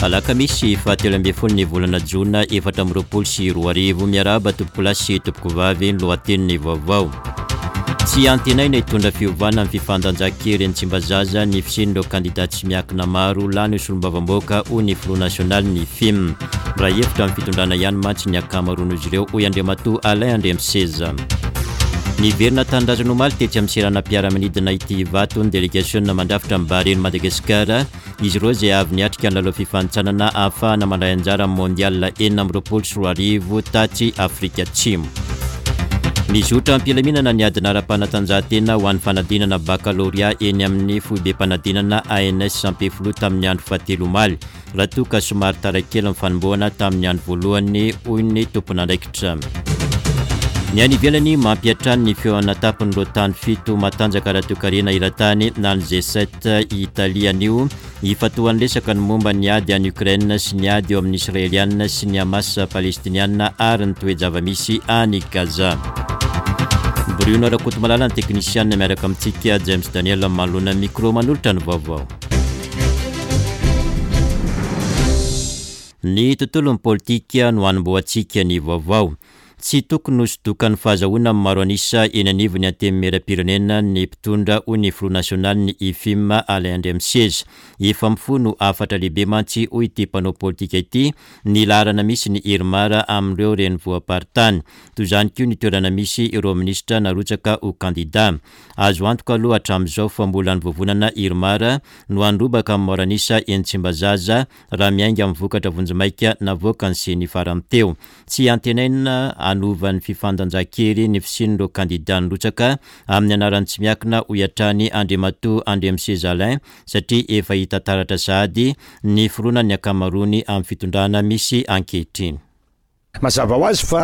Alakamisy fahatelo ambin'ny folo ny volana jona 2024. Miarahaba tompokolahy sy tompokovavy ny lohatenin'ny vaovao. Tsy antenaina hitondra fiovana amin'ny fifandanjan-kery eny Tsimbazaza ny fisian'ireo kandida tsy miankina maro lany ho solombavambahoaka hoy ny filoha nasionalin'ny FIM. Miray hevitra amin'ny fitondrana ihany mantsy ny ankamaroan'izy ireo hoy Andriamatoa Alain Andriamiseza. Niverina tanindrazana omaly tetsy amin'ny seranam-piaramanidina ity Ivato ny delegasiona mandrafitra ny Barea-n'i Madagasikara. Izy ireo izay avy niatrika ny lalao fifanintsanana ahafahana mandray anjara amin'ny Mondial 2026 tatsy Afrika Atsimo. Mizotra am-pilaminana ny adina ara-panatanjahantena ho an'ny fanadinana bakalorea eny amin'ny foibem-panadinana ANS Ampefiloha tamin'ny andro fahatelo omaly. Raha toa ka somary tara kely ny fanombohana tamin'ny andro voalohany hoy ny tompon'andraikitra. Ny any ivelany, mampiantrano ny fihaonana an-tampon'ireo tany fito matanjaka ara-toekarena eran-tany na ny G7 i Italia anio. Ifantohan'ny resaka ny momba ny ady any Ukraine sy ny ady eo amin'ny Israeliana sy ny Hamas Palestiniana ary ny toe-java-misy any Gaza. Bruno Rakotomalala ny teknisianina miaraka amintsika, James Daniel manoloana ny micro manolotra ny vaovao. Ny tontolon'ny politika no hanombohantsika ny vaovao. Tsy tokony ho sodokan'ny fahazahoana ny maro an'isa eny anivon'ny Antenimierampirenena ny mpitondra, hoy ny filoha nasionalin'ny IFIM, Alain Andriamiseza. Efa mifono hafatra lehibe mantsy, hoy ity mpanao politika ity, ny laharana misy ny Irmar amin'ireo renivohi-paritany. Toy izany koa ny toerana misy ireo minisitra narotsaka ho kandida. Azo antoka aloha hatramin'izao fa mbola ny vovonana Irmar no handrobaka amin'ny maro an'isa eny Tsimbazaza raha miainga amin'ny vokatra vonjimaika navoakan'ny Ceni farany teo. Tsy antenaina hanova ny fifandanjan-kery ny fisian'ireo kandida nirotsaka amin'ny anaran'ny tsy miankina hoy hatrany Andriamatoa Andriamiseza Alain satria efa hita taratra sahady ny fironan'ny ankamaroany amin'ny fitondrana misy ankehitriny. Mazava ho azy fa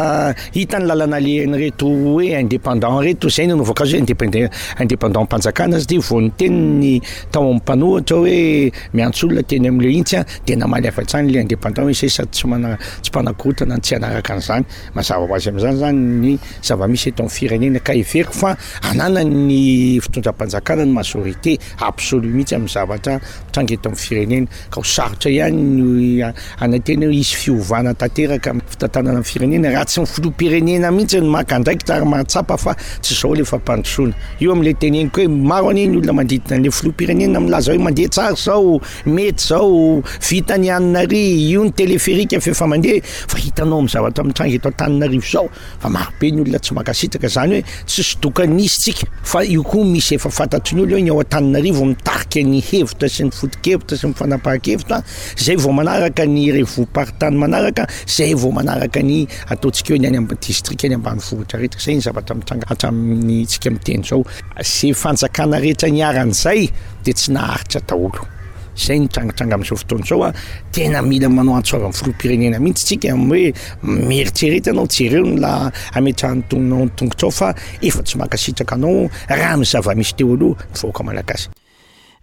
hita ny lalana alehan'ireto hoe indépendant ireto, izay no nanaovako azy hoe indépendant, indépendant mpanjakana satria vao niteny ny tao amin'ny mpanohitra hoe miantso olona teny amin'ilay intsy an, dia namaly avy hatrany ilay indépendant hoe izay sady tsy mana, tsy mpanakorontana no tsy hanaraka an'izany. Mazava ho azy amin'izany izany ny zava-misy eto amin'ny firenena ka heveriko fa ananan'ny fitondram-panjakana ny majorité absolue mihitsy amin'ny zavatra mitranga eto amin'ny firenena ka ho sarotra ihany ny hanantena hoe hisy fiovana tanteraka amin'ny fitantanana ny firenena raha tsy ny filoham-pirenena mihitsy no maka andraikitra ary mahatsapa fa tsy izao ilay fampandrosoana. Io amin'ilay teneniko hoe maro anie ny olona manodidina an'ilay filoham-pirenena milaza hoe mandeha tsara izao, mety izao, vita ny anona ary, io ny téléphérique fa efa mandeha fa hitanao amin'ny zavatra mitranga eto Antananarivo izao fa maro be ny olona tsy mankasitraka izany hoe tsy sodokan'ny izy tsika fa io koa misy efa fantatry ny olona hoe ny ao Antananarivo mitarika ny hevitra sy ny foto-kevitra sy ny fanapahan-kevitra izay vao manaraka ny revo-paritany manaraka izay vao manaraka ny ataontsika hoe ny any amin'ny distrika any ambanivohitra rehetra izay ny zavatra mitranga hatramin'ny tsika miteny izao izay fanjakana rehetra niharan'izay dia tsy naharitra daholo izay ny trangatranga amin'izao fotoana izao a tena mila manao antso avy amin'ny filoham-pirenena mihitsy tsika amin'ny hoe mieritrereta ianao jereo ny la ametrahan'ny tononao ny tongotrao fa efa tsy mankasitraka anao raha ny zava-misy teo aloha ny vahoaka malagasy.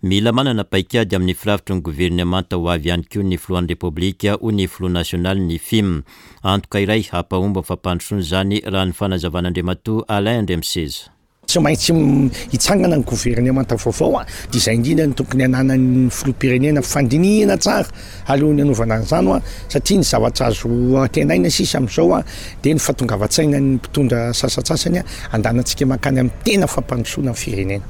Mila manana paikady amin'ny firafitry ny governemanta ho avy ihany koa ny filohan'ny Repoblika, hoy ny filoha nasionalin'ny Fim. Antoka iray hampahomby ny fampandrosoana izany, raha ny fanazavan'Andriamatoa Alain Andriamiseza. Tsy maintsy hitsangana ny governemanta vaovao dia izay indrindra no tokony hananan'ny filoham-pirenena fandinihina tsara alohan'ny hanaovana an'izany hoa satria ny zavatra azo antenaina sisa amin'izao dia ny fahatongavan-tsainan'ny mpitondra sasantsasany andanantsika mankany amin'ny tena fampandrosoana ny firenena.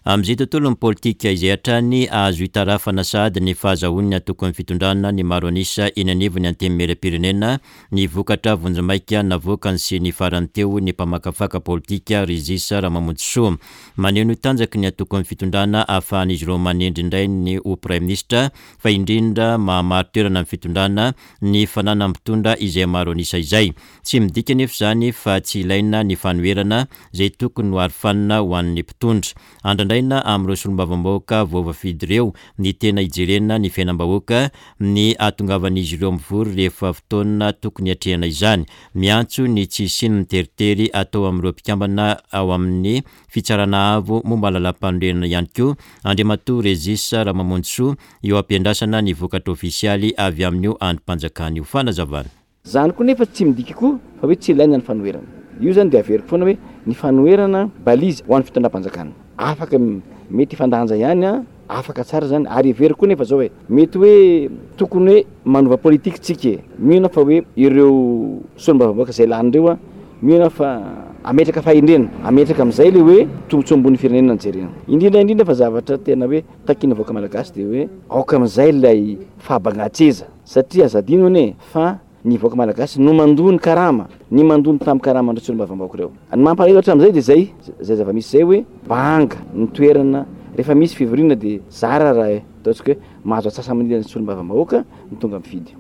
Amin'izay tontolon'ny politika izay hatrany, azo itarafana sahady ny fahazahoan'ny antokon'ny fitondrana ny maro an'isa eny anivon'ny Antenimierampirenena ny vokatra vonjimaika navoakan'ny Ceni farany teo ny mpamakafaka politika Régis Ramamonjisoa. Maneho ny tanjaky ny antokon'ny fitondrana ahafahan'izy ireo manendry indray ny ho praiminisitra fa indrindra mahamari-toerana ny fitondrana ny fananan'ny mpitondra izay maro an'isa izay. Tsy midika anefa izany fa tsy ilaina ny fanoherana izay tokony ho arofanina ho an'ny mpitondra. Andrandraina amin'ireo solombavambahoaka voavafidy ireo ny tena hijerena ny fiainam-bahoaka, ny hahatongavan'izy ireo mivory rehefa fotoana tokony hiatrehana izany. Miantso ny tsy hisian'ny teritery atao amin'ireo mpikambana ao amin'ny Fitsarana Avo momba ny Lalàmpanorenana ihany koa Andriamatoa Régis Ramamonjisoa eo am-piandrasana ny vokatra ofisialy avy amin'io andrim-panjakana io. Fanazavana. Zany koa nefa tsy midika koa fa hoe tsy ilaina ny fanoherana. Io zany dia averiko foana hoe ny fanoherana balise ho an'ny fitondram-panjakana. Afaka mety hifandanja ihany an. afaka tsara zany ary heveriko koa nefa zao e, mety hoe tokony hoe manova politique tsika e, mino aho fa hoe ireo solombavambahoaka izay lany ireo an, mino aho fa hametraka fahendrena, hametraka amin'izay le hoe tombotsoa ambony firenena no jerena. Indrindra indrindra fa zavatra tena hoe takian'ny vahoaka malagasy dia hoe aoka amin'izay ilay fahabangan-tseza satria aza adino anie fa Ny vahoaka malagasy no mandoa ny karama, ny mandoa ny tambin-karaman'ireo solombavambahoaka ireo. Ny mampalahelo hatramin'izay dia izay, izay zava-misy izay hoe banga ny toerana, rehefa misy fivoriana dia zara raha ataontsika hoe mahazo antsasa-manila ny solombavambahoaka no tonga mifidy.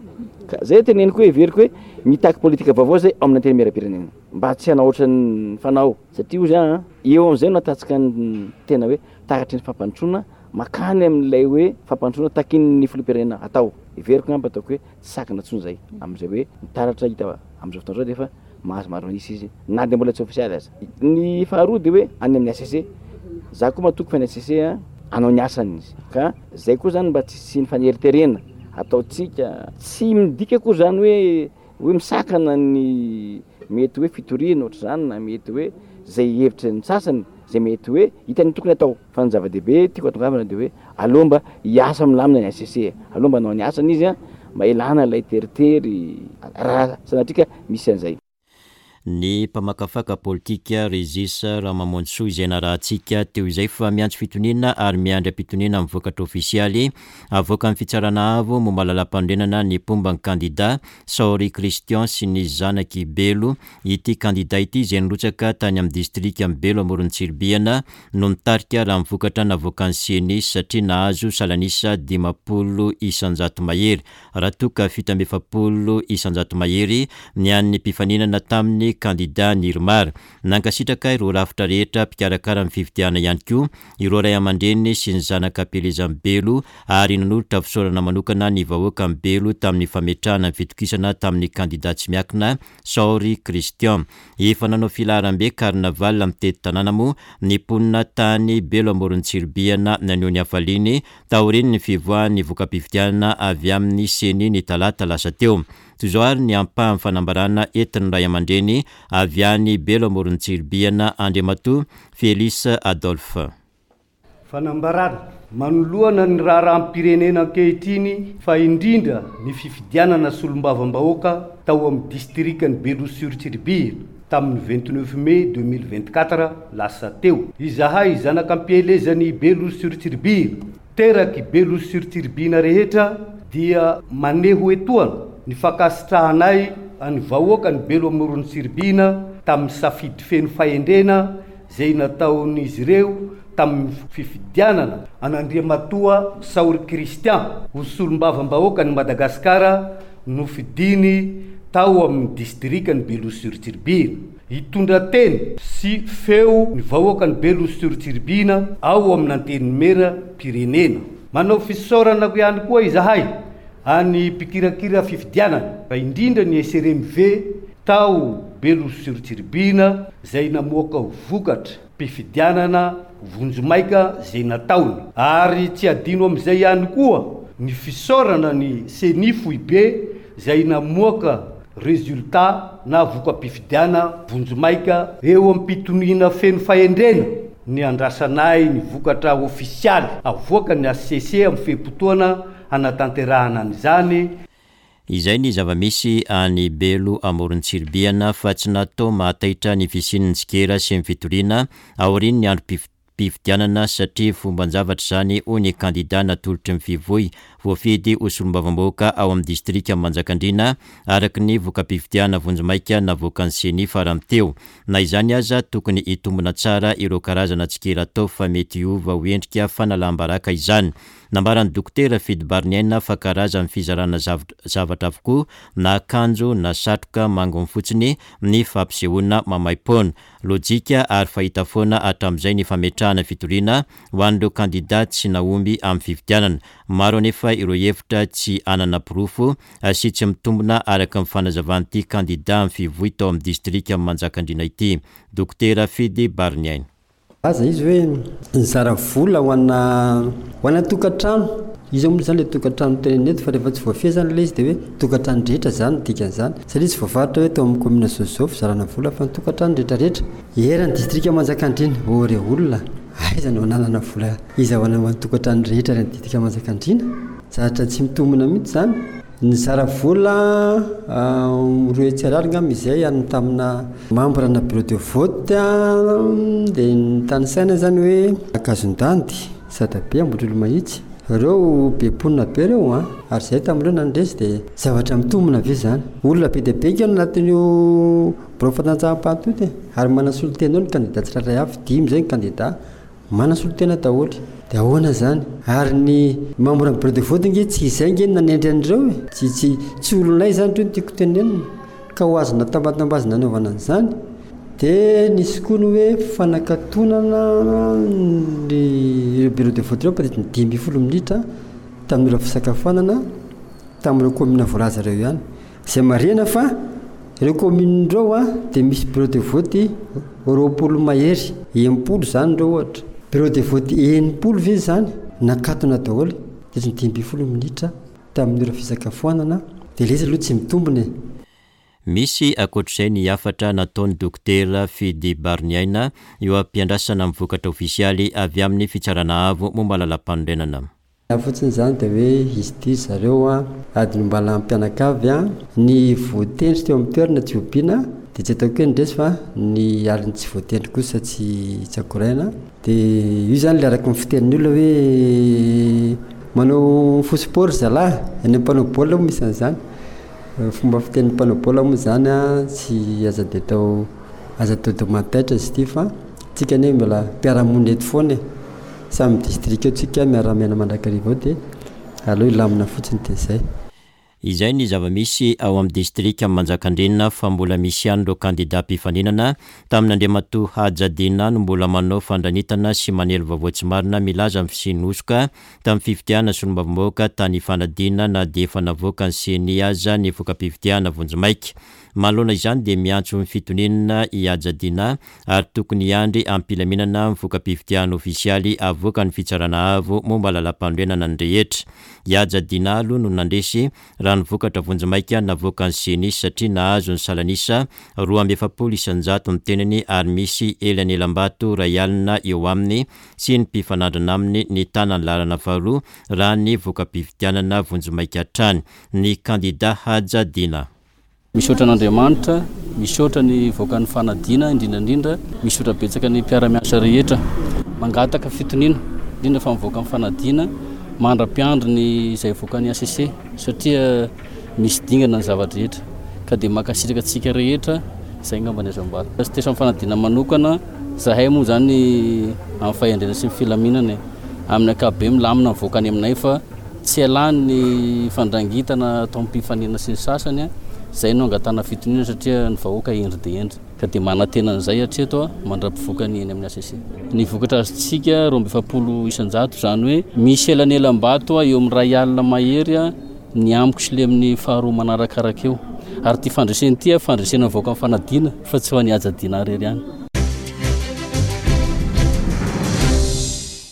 Ka izay teneniko hoe heveriko hoe mitaky politika vaovao izay ao amin'ny antenimierampirenena mba tsy hanao ohatran'ny fanao satria hozy aho eo amin'izay no ahitantsika ny tena hoe taratry ny fampandrosoana makany amin'ilay hoe fampandrosoana takian'ny filoham-pirenena atao. Heveriko angamba ataoko hoe tsy sakana intsony izay amin'izay hoe ny taratra hita amin'izao fotoana izao dia efa mahazo maro an'isa izy na dia mbola tsy ofisialy aza. Ny faharoa dia hoe any amin'ny HCC, za koa matoky fa ny HCC hanao ny asany izy ka zay koa zany mba tsy hisian'ny faneriterena ataontsika, tsy midika akory zany hoe hoe misakana ny mety hoe fitoriana ohatr'izany na mety hoe zay hevitry ny sasany zay mety hoe hitany tokony atao. Fa ny zava-dehibe tiako hatongavana dia hoe aleo mba hiasa milamina ny HCC e, aleo mba hanao ny asany izy an, mba hialana ilay teritery raha sanatria ka misy an'izay. Ny mpamakafaka politika Régis Ramamonjisoa izay narahantsika teo izay fa miantso fitoniana ary miandry am-pitoniana amin'ny vokatra ofisialy avoakan'ny Fitsarana Avo momba lalàmpanorenana ny mpomba ny kandida Saory Christian sy ny zanak'i Belo. Ity kandida ity izay nirotsaka tany amin'ny distrikan'i Belo Amoron'i Tsiribihina no nitarika raha ny vokatra navoakan'ny Ceni satria nahazo salan'isa 50% mahery raha toa ka 47% mahery ny an'ny mpifaninana taminy kandida Nirmar. Nankasitraka ireo rafitra rehetra mpikarakara ny fifidianana ihany koa ireo ray aman-dreny sy ny zanaka am-pielezan'i Belo ary nanolotra fisaorana manokana ny vahoakan'i Belo tamin'ny fametrahana ny fitokisana tamin'ny kandida tsy miakina Saory Christian. Efa nanao filaharambe carnaval mitety tanàna moa ny mponina tany Belo Amoron'i Tsiribihina naneho ny hafaliany taorian'ny fivoahan'ny voka-pifidianana avy amin'ny Ceni ny talata lasa teo. Toy izao ary ny ampahan'ny fanambarana entin'ny ray aman-dreny avy any Belo Amoron'i Tsiribihina Andriamatoa Félix Adolphe. Fanambarana, manoloana ny raharaham-pirenena ankehitriny fa indrindra ny fifidianana solombavambahoaka tao amin'ny distrikan'i Belo sur Tsiribihina tamin'ny 29 mai 2024 lasa teo. Izahay zanak'ampielezan'i Belo sur Tsiribihina, terak'i Belo sur Tsiribihina rehetra dia maneho etoana ny fankasitrahanay an'ny vahoakan'i Belo Amoron'i Tsiribihina tamin'ny safidy feno fahendrena izay nataon'izy ireo tamin'ny fifidianana an'Andriamatoa Saory Christian ho solombavambahoakan'i Madagasikara nofidiny tao amin'ny distrikan'i Beloha sur Tsiribihina. Hitondra teny sy feo ny vahoakan'i Beloha sur Tsiribihina ao amin'ny Antenimieram-pirenena. Manao fisaorana ihany koa izahay an'ny mpikirakira fifidianana, fa indrindra ny SRMV tao Belo sur Tsiribihina izay namoaka vokatra mpifidianana vonjimaika izay nataony. Ary tsy adino amin'izay ihany koa ny fisaorana ny Ceni foibe izay namoaka résultat na voka-pifidiana vonjimaika eo am-pitoniana feno fahendrena ny andrasanay ny vokatra ofisialy avoakan'ny HCC amin'ny fe-potoana hanatanterahana an'izany. Izay ny zava-misy any Belo amoron'i Tsiribihana fa tsy natao mahataitra ny fisian'ny tsikera sy ny fitoriana aorian'ny androm-pifidianana satria fomban-javatra izany hoy ny kandida natolotry ny Fivoy voafidy ho solombavambahoaka ao amin'ny distrikan'i Manjakandriana araka ny voka-pifidianana vonjimaika navoakan'ny Ceni farany teo. Na izany aza tokony hitombina tsara ireo karazana tsikera atao fa mety hiova ho endrika fanalam-baraka izany. Nambaran'ny Dokotera Fidy Bariniaina fa karazan'ny fizarana zavatra avokoa na akanjo na satroka manginy fotsiny ny fampisehoana maimaim-poana. Lojika ary fahita foana hatramin'izay ny fametrahana fitoriana ho an'ireo kandida tsy nahomby amin'ny fifidianana. Maro anefa ireo hevitra tsy hanana porofo sy tsy mitombina araka ny fanazavan'ity kandida amin'ny fivoy tao amin'ny distrikan'i Manjakandriana ity, Dokotera Fidy Bariniaina. Nilaza izy hoe nizara vola ho ana ho ana tokantrano. Iza moa izany ilay tokantrano tenenina eto fa rehefa tsy voafehy izany ilay izy dia hoe tokantrano rehetra izany no dikan'izany. Satria tsy voafaritra hoe tao amin'ny commune zao sy zao fizarana vola fa ny tokantrano rehetra rehetra. Eran'ny distrika Manjakandriana. Ô re olona! Aiza no hananana vola hizahoana ho an'ny tokantrano rehetra any Distrika Manjakandriana? Zavatra tsy mitombina mihitsy izany. Nizara vola 200 ariary angamba izay any tamina membre na bureau de vote dia nitanisaina izany hoe Ankazondandy, Sadabe, Ambohitrolomahitsy. Ireo be mponina be ireo an! Ary izahay tamin'ireo nandresy dia zavatra mitombina ve izany? Olona be dia be ange no anatin'io Birao fandanjaham-paty io e! Ary manana solontena eo ny kandida tsirairay avy, dimy izay ny kandida, manana solontena daholo. Dia ahoana izany? Ary ny membre ny bureau de vote ange tsy izay ange no nanendry an'ireo e! Tsy tsy tsy olonay izany ireo no tiako tenenina, ka ho azona tambatambazina anaovana an'izany. Dia nisy koa ny hoe fanakatonana ny ireo bureau de vote ireo peut-être ny 15 minitra tamin'ny ora fisakafoanana tamin'ireo commune voalaza ireo ihany. Izay marihana fa ireo commune ireo dia misy bureau de vote 20 mahery, 60 izany ireo ohatra. Bureau de vote 60 ve izany nakatona daholo dia ny 15 minitra tamin'ny ora fisakafoanana dia ilay izy aloha tsy mitombina e. Misy ankoatr'izay ny hafatra nataon'ny Dokotera Fidy Bariniaina eo am-piandrasana ny vokatra ofisialy avy amin'ny Fitsarana Avo momba ny Lalàmpanorenana. Ny ahy fotsiny izany dia hoe izy ity ry zareo an, adin'ny mba mpianakavy an, ny voatendry teo amin'ny toerana tsy hobiana dia tsy ataoko hoe nandresy fa ny alin'ny tsy voatendry kosa tsy tsy akoraina, dia io izany ilay araka ny fitenin'ny olona hoe manao faux sport ry zalahy, any amin'ny mpanao baolina moa misy an'izany, fomba fitenin'ny mpanao baolina moa izany an, tsy aza dia atao aza atao dia mahataitra izy ity fa tsika anie mbola mpiara-monina eto foana e. Samy distrika eo tsika miara miaina mandrakariva ao dia aleo hilamina fotsiny dia zay. Izay ny zava-misy ao amin'ny distrikan'i Manjakandriana fa mbola misy ihany ireo kandida mpifaninana tamin'Andriamatoa Haja Dina no mbola manao fandranitana sy manely vaovao tsy marina milaza ny fisian'ny hosoka tamin'ny fifidianana solombavambahoaka tany Ifanadiana na dia efa navoakan'ny Ceni aza ny voka-pifidianana vonjimaika. Manoloana izany dia miantso ny fitoniana i Haja Dina ary tokony hiandry am-pilaminana ny voka-pifidianana ofisialy avoakan'ny Fitsarana Avo momba Lalàmpanorenana ny rehetra. I Haja Dina aloha no nandresy raha ny vokatra vonjimaika navoakan'ny Ceni satria nahazo ny salan'isa 42% ny tenany ary misy elanelam-bato iray alina eo aminy sy ny mpifanandrina aminy nitana ny laharana faharoa raha ny voka-pifidianana vonjimaika hatrany ny kandida Haja Dina. Misaotra an'Andriamanitra, misaotra ny vahoakan'ny Fanadina indrindra indrindra, misaotra betsaka ny mpiara-miasa rehetra. Mangataka fitoniana, indrindra fa mivoaka amin'ny Fanadina, mandra-piandry ny izay avoakan'ny HCC satria misy dingana ny zava-drehetra. Ka dia mankasitraka antsika rehetra, izay angamba ny azo ambara. Teo amin'ny Fanadina manokana, izahay moa izany amin'ny fahendrena sy ny filaminana e. Amin'ny ankapobeny milamina mivoaka any aminay fa. Tsy ialany ny fandrangitana atao am-pifanena sy ny sasany, izay no angatahana fitoniana satria ny vahoaka hendry dia hendry. Ka dia manantena an'izay hatreto aho mandra-pivoaka ny eny amin'ny HCC. Ny vokatra azontsika 42%, izany hoe misy elanelam-bato eo amin'ny iray alina mahery ny amiko sy ilay amin'ny faharoa manarakaraka eo. Ary ity fandresena ity fandresena ny vahoaka mifanadina fa tsy ho an'i Haja Dinah irery ihany.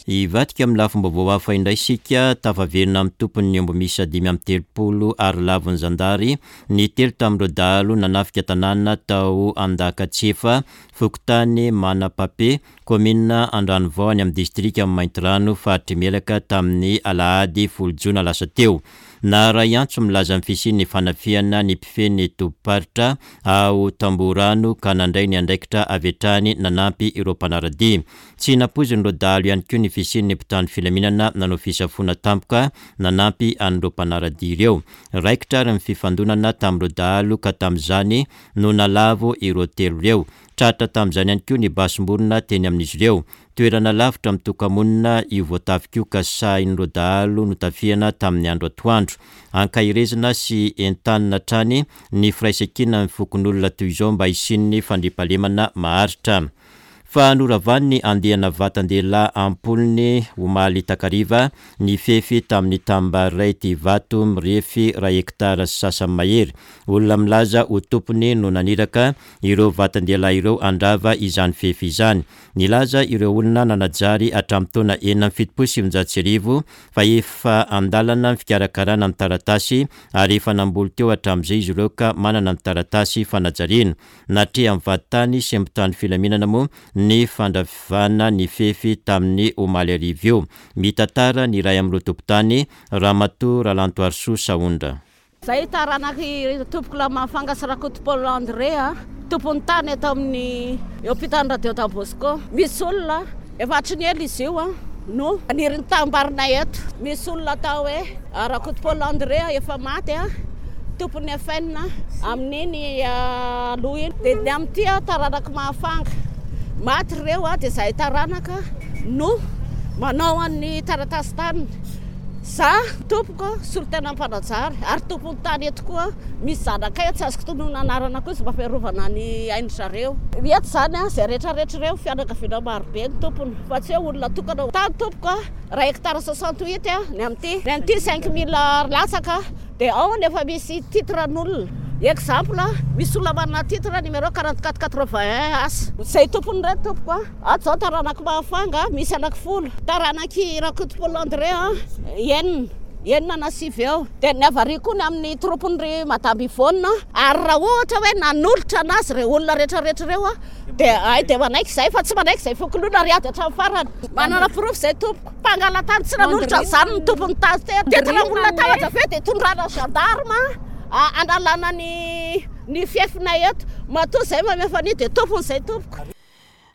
Hivadika amin'ny lafim-baovao hafa indray isika, tafaverina amin'ny tompony ny omby miisa 35 ary lavon'ny zandary ny telo tamin'ireo dahalo nanafika tanàna tao Andakatsiefa, fokontany Manapape, kaominina Andranovao any amin'ny distrikan'i Maintirano, faritr'i Melaka tamin'ny alahady folo jona lasa teo. Naharay antso milaza ny fisian'ny fanafihana ny mpifehy ny tobim-paritra ao Tambohorano ka nandray ny andraikitra avy hatrany nanampy ireo mpanara-dia. Tsy nampoizin'ireo dahalo ihany koa ny fisian'ny mpitandro filaminana nanao fisafoana tampoka nanampy an'ireo mpanara-dia ireo. Raikitra ary ny fifandonana tamin'ireo dahalo ka tamin'izany no nalavo ireo telo ireo. Tratra tamin'izany ihany koa ny basim-borona teny amin'izy ireo. Toerana lavitra mitoka-monina io voatafika io ka sahin'ireo dahalo notafihana tamin'ny andro atoandro. Ankaherezina sy entanina hatrany ny firaisankinan'ny fokonolona toy izao mba hisian'ny fandriampahalemana maharitra. Fa noravan'ny andiana vatan-dehilahy am-polony omaly takariva ny fefy tamin'ny tanimbary iray ity vato mirefy iray hektara sy sasany mahery. Olona milaza ho tompony no naniraka ireo vatan-dehilahy ireo handrava izany fefy izany. Nilaza ireo olona nanajary hatramin'ny taona 1976 fa efa an-dalana ny fikarakarana ny taratasy ary efa namboly teo hatramin'izay izy ireo ka manana ny taratasy fanajariana. Natrehan'ny vadintany sy mpitandro filaminana moa ny fandravana ny fefy tamin'ny omaly hariva io. Mitantara ny iray amin'ireo tompon-tany, Ramatoa Ralantoarisoa Sahondra. Zay taranak'i Tompokolahy Mahafanga sy Rakoto Paul André a, tompon'ny tany eto amin'ny eo ampitan'ny radio Don Bosco. Misy olona efa hatry ny ela izy io a no maniry ny tanimbary-nay eto. Misy olona atao hoe Rakoto Paul André efa maty a, tompon'ny FN amin'iny aloha iny. Dia ny amin'ity a, taranak'i Mahafanga. Maty ireo a, dia izahay taranaka no manao an'ny taratasin-taniny. Za tompoko solontenan'ny mpanajary ary tompon'ny tany eto koa, misy zanakay tsy azoko tononina anarana koa izy mba fiarovana ny ain-dry zareo. Eto izany izay rehetra rehetra ireo fianakaviana maro be ny tompony fa tsy hoe olona tokana. Tany tompoko iray hectare 68 ny amin'ity, ny an'ity 5000 latsaka dia ao nefa misy titre an'olona. Exemple, misy olona manana titre numéro 44 81 asa. Izay tompony ireto tompoko. Ato izao taranak'i Mahafanga misy anaky folo, taranak'i Rakoto Paul André enina, enina na sivy eo. Dia ny avaria koa ny amin'ny troupe-n'i Madame Yvonne. Ary raha ohatra hoe nanolotra anazy ireo olona rehetra rehetra ireo dia hay dia manaiky izahay fa tsy manaiky izay fokonolona ary ady hatramin'ny farany. Manana porofo izay tompoko. Mpangala-tany tsy nanolotra an'izany ny tompon'ny tany teto. Teto raha olona tahotra ve dia tondrana gendarme hanalana ny ny fiefinay eto. Matoa izay mamefa an'io dia tompony izay tompoko.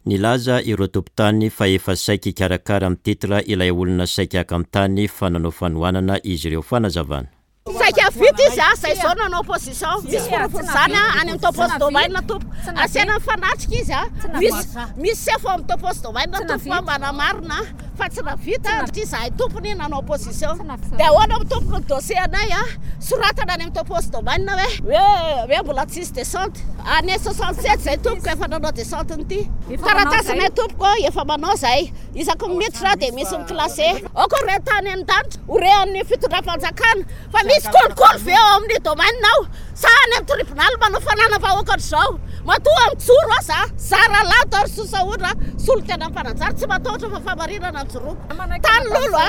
Nilaza ireo tompon-tany fa efa saika hikarakara amin'ny titre ilay olona saika haka ny tany fa nanao fanohanana izy ireo. Fanazavana. Saika vita izy a, zay zao nanao opposition, misy porofon'izany a, any amin'ny topos domaine tompoko, asiana mifanatrika izy a, misy misy sefo ao amin'ny topos domaine tompoko a manamarina fa tsy navita satria izahay tompony nanao opposition, dia ahoana moa tompoko ny dossier anay a, soratana any amin'ny topos domaine hoe hoe hoe mbola tsisy descente, année 67 zay tompoko efa nanao descente n'ity, taratasinay tompoko efa manao zay, isaky ny miditra dia misy mi-classer, aoka ho re tany an-danitra, ho re amin'ny fitondram-panjakana fa misy kolikoly ve ao amin'ny domaine ao sa any amin'ny tribonaly manao fananam-bahoaka ohatr'izao? Matoa mijoro aho za, zara lanto ary sosaondra solontenan'ny mpanajary tsy matahotra fa fahamarinana no joroko. Tany lolo a,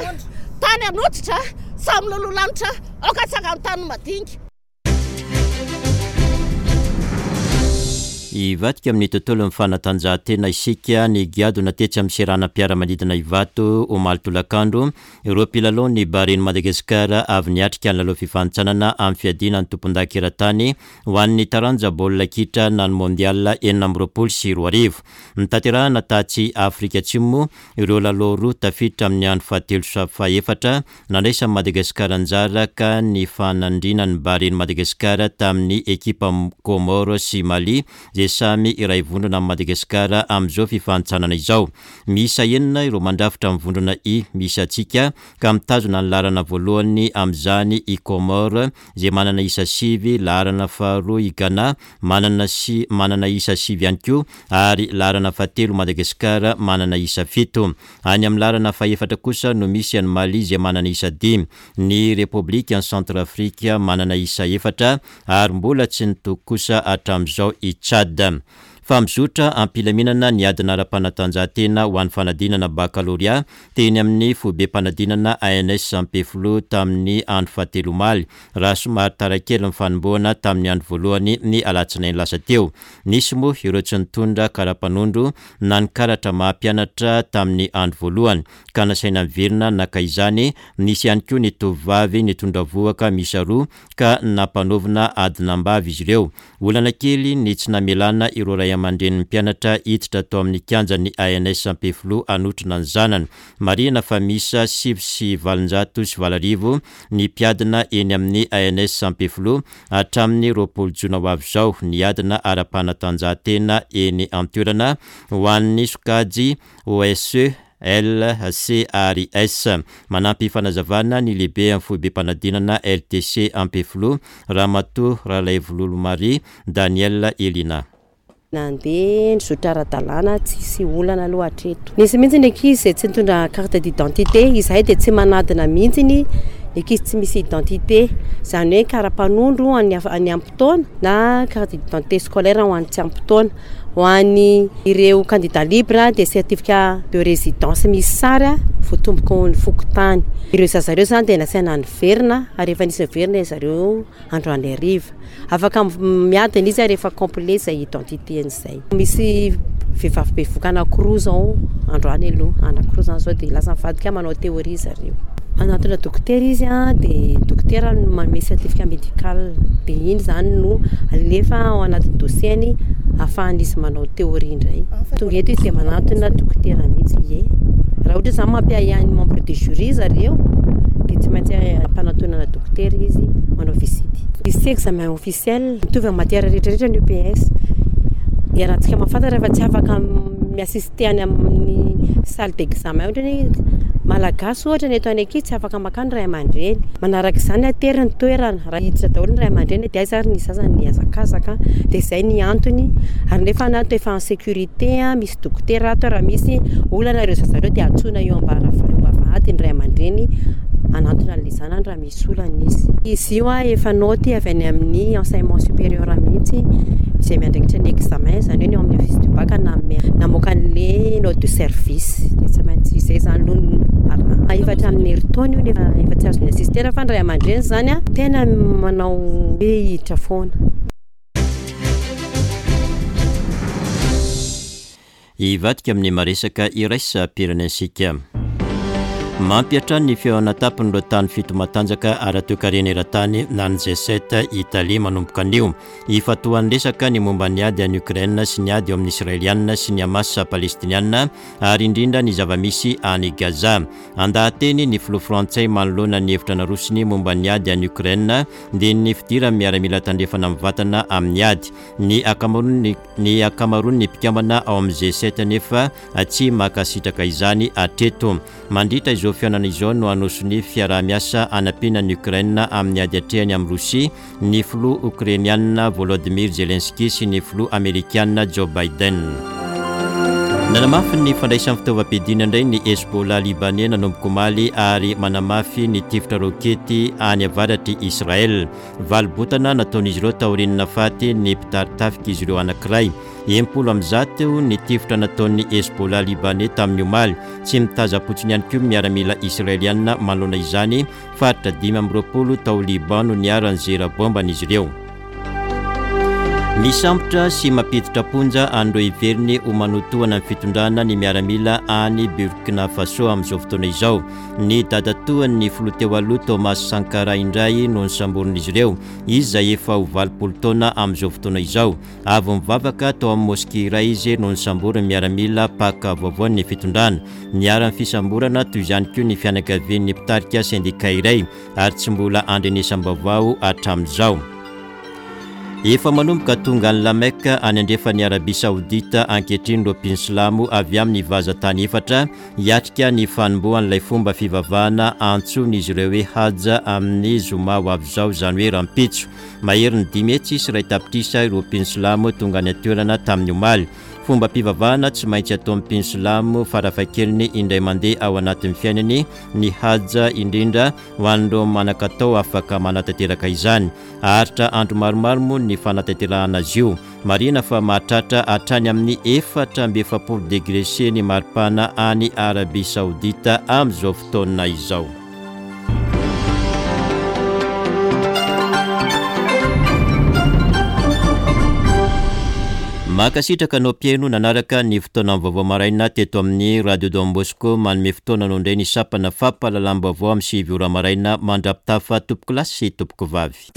tany an'hoditra, samy lolo lanitra, aoka atsangano tany madinika. Hivadika amin'ny tontolon'ny fanatanjahantena isika, nigadona tetsy amin'ny seranam-piaramanidina Ivato omaly tolakandro ireo mpilalaon'ny Baren'i Madagasikara avy niatrika ny lalao fifanintsanana amin'ny fiadiana ny tompondaka eran-tany ho an'ny taranja baolina kitra na ny Mondial 2026. Notanterahina tatsy Afrika Atsimo ireo lalao roa tafiditra amin'ny andro fahatelo sy fahefatra Nandraisan'i Madagasikara anjara ka nifanandrinan'ny Baren'i Madagasikara tamin'ny ekipa Comores sy Mali izay samy iray vondrona amin'i Madagasikara amin'izao fifanintsanana izao. Miisa enina ireo mandrafitra ny vondrona I misy antsika ka mitazona ny laharana voalohany amin'izany i Comores izay manana isa sivy, laharana faharoa i Ghana manana sy manana isa sivy ihany koa ary laharana fahatelo Madagasikara manana isa fito. Any amin'ny laharana fahefatra kosa no misy an'i Mali izay manana isa dimy, ny Repoblikan'i Centrafrique manana isa efatra ary mbola tsy nitoky kosa hatramin'izao i Tchad. Fa mizotra am-pilaminana ny adina ara-panatanjahantena ho an'ny fanadinana bakalorea teny amin'ny foibem-panadinana ANS Ampefiloha tamin'ny andro fahatelo omaly, raha somary tara kely ny fanombohana tamin'ny andro voalohany ny alatsinainy lasa teo. Nisy moa ireo tsy nitondra kara-panondro na ny karatra maha mpianatra tamin'ny andro voalohany ka nasaina niverina naka izany, nisy ihany koa ny tovovavy nitondra vohoka miisa roa ka nampanaovina adinam-bavy izy ireo. Olana kely ny tsy namelana ireo ray aman-drenin'ny mpianatra hiditra tao amin'ny kianjan'ny ANS Ampefiloha hanotrona ny zanany. Marihina fa miisa 809 ny mpiadina eny amin'ny ANS Ampefiloha Hatramin'ny 20 jona ho avy izao ny adina ara-panatanjahantena eny an-toerana ho an'ny sokajy OSE, L, C ary S. Manampy fanazavana ny lehiben'ny foibem-panadinana LTC Ampefiloha, Ramatoa Ralaivololo Marie Danielle Elina. Nandeha nizotra ara-dalàna tsisy olana aloha hatreto. Nisy mihitsy ny ankizy izay tsy nitondra carte d'identité, izahay dia tsy manadina mihitsy ny ankizy tsy misy identité, izany hoe kara-panondro ho an'ny an'ny ampy taona na carte d'identité scolaire ho an'ny tsy ampy taona. Ho an'ny ireo candidat libre dia certificat de résidence misy sary voatomboka ao amin'ny fokontany. Ireo zaza ireo izany dia nasaina niverina ary efa nisy niverina zareo androany hariva. Afaka miadana izy rehefa complet izay identité-ny izay. Misy Vehivavy bevohoka anankiroa izao androany aloha, anankiroa izany izao dia lasa nivadika manao théorie zareo. Manantona dokotera izy dia dokotera no manome certificat médical dia iny izany no alefa ao anatin'ny dossier-ny ahafahan'izy manao théorie indray. Tonga eto izy dia manantona dokotera mihitsy, ie. Raha ohatra izany mampiahiahy ny membre du jury zareo dia tsy maintsy ampanantonana dokotera izy manao visite. Izy ity examen officiel, mitovy amin'ny matière rehetra rehetra ny EPS. Iarahantsika mahafantatra fa tsy afaka mi-assister any amin'ny salle d'examen ohatra hoe malagasy ohatra ny eto any ankizy tsy afaka makany ray aman-dreny. Manaraka izany tery ny toerana, raha hiditra daholo ny ray aman-dreny dia aiza ary ny zaza ny hihazakazaka, dia izay ny antony. Ary nefa ny ato efa en sécurité, misy dokotera ato, raha misy olana ireo zaza ireo dia antsoina eo am-bavahady ny ray aman-dreny hanantona an'ilay zanany raha misy olana izy. Izy io efa naoty avy any amin'ny enseignement supérieur mihitsy izay miandraikitra ny examen, izany hoe ny ao amin'ny office du bac nanome namoaka an'ilay note de service, dia tsy maintsy izay izany aloha no arahana. Efa hatramin'ny herintaona io nefa efa tsy azo ni-assister fa ny ray aman-dreny izany tena manao hoe hiditra foana. Hivadika amin'ny maresaka iraisam-pirenena isika. Mampiantrano ny fihaonana an-tampon'ireo tany fito matanjaka ara-toekarena eran-tany na ny G7 Italia manomboka anio. Hifantohan'ny resaka ny momba ny ady any Ukraine sy ny ady eo amin'ny Israelianina sy ny Hamas Palestiniana ary indrindra ny zava-misy any Gaza. Handaha-teny ny filoha frantsay manoloana ny hevitra narosony momba ny ady any Ukraine dia ny fidiran'ny miaramila tandrefana mivantana amin'ny ady. Ny ankamaroan'ny Ny ankamaroan'ny mpikambana ao amin'ny G7 anefa tsy mankasitraka izany hatreto. Mandritra izao fihaonana izao no hanao sonia fiaraha-miasa hanampiana an'i Ukraine amin'ny ady atrehany amin'i Rosia ny filoha Okrainiana Volodymyr Zelensky sy ny filoha Amerikana Joe Biden. Nanamafy ny fandraisany fitaovam-piadiana indray ny Hezbollah Libaney nanomboka omaly ary manamafy ny tifitra rokety any avaratr'i Israel. Valy-botana nataon'izy ireo taorian'ny nahafaty ny mpitari-tafik'izy ireo anankiray. 160 ny tifitra nataon'ny Hezbollah Libaney tamin'ny omaly. Tsy mitazam-potsiny ihany koa ny miaramila Israeliana manoloana izany. Faritra 25 tao Liban no niharan'ny zera baomban'izy ireo. Misambotra sy mampiditra am-ponja an'ireo heveriny ho manotohana ny fitondrana ny miaramila any Burkina Faso amin'izao fotoana izao. Ny dadatoan'ny filoha teo aloha Thomas Sankara indray no nosamborin'izy ireo, izy izay efa ho 80 taona amin'izao fotoana izao. Avy nivavaka tao amin'ny mosquée iray izy no nosamborin'ny miaramila mpaka vaovaon'ny fitondrana. Niharan'ny fisamborana toy izany koa ny fianakavian'ny mpitarika sendika iray ary tsy mbola andrenesam-baovao hatramin'izao. Efa manomboka tonga any La Mecque any andrefan'i Arabia Saodita ankehitriny ireo mpino silamo avy amin'ny vazantany efatra Hiatrika ny fanombohan'ilay fomba fivavahana antsoin'izy ireo hoe Hajj amin'ny zoma ho avy izao, izany hoe rahampitso. Maherin'ny 501 tapitrisa ireo mpino silamo tonga any an-toerana tamin'ny omaly. Fombam-pivavahana tsy maintsy ataon'ny mpino silamo farafahakeliny indray mandeha ao anatin'ny fiainany ny Hajj, indrindra ho an'ireo manan-katao afaka manatanteraka izany. Haharitra andro maromaro moa ny fanatanterahana azy io. Marihina fa mahatratra hatrany amin'ny 44 degré C ny maripana any Arabie Saoudite amin'izao fotoana izao. Mankasitraka anao mpihaino nanaraka ny fotoanan'ny vaovao maraina teto amin'ny Radio Don Bosco. Manome fotoana anao indray ny sampana fampahalalam-baovao amin'ny 9 ora maraina mandra-pitafa tompokolahy sy tompokovavy.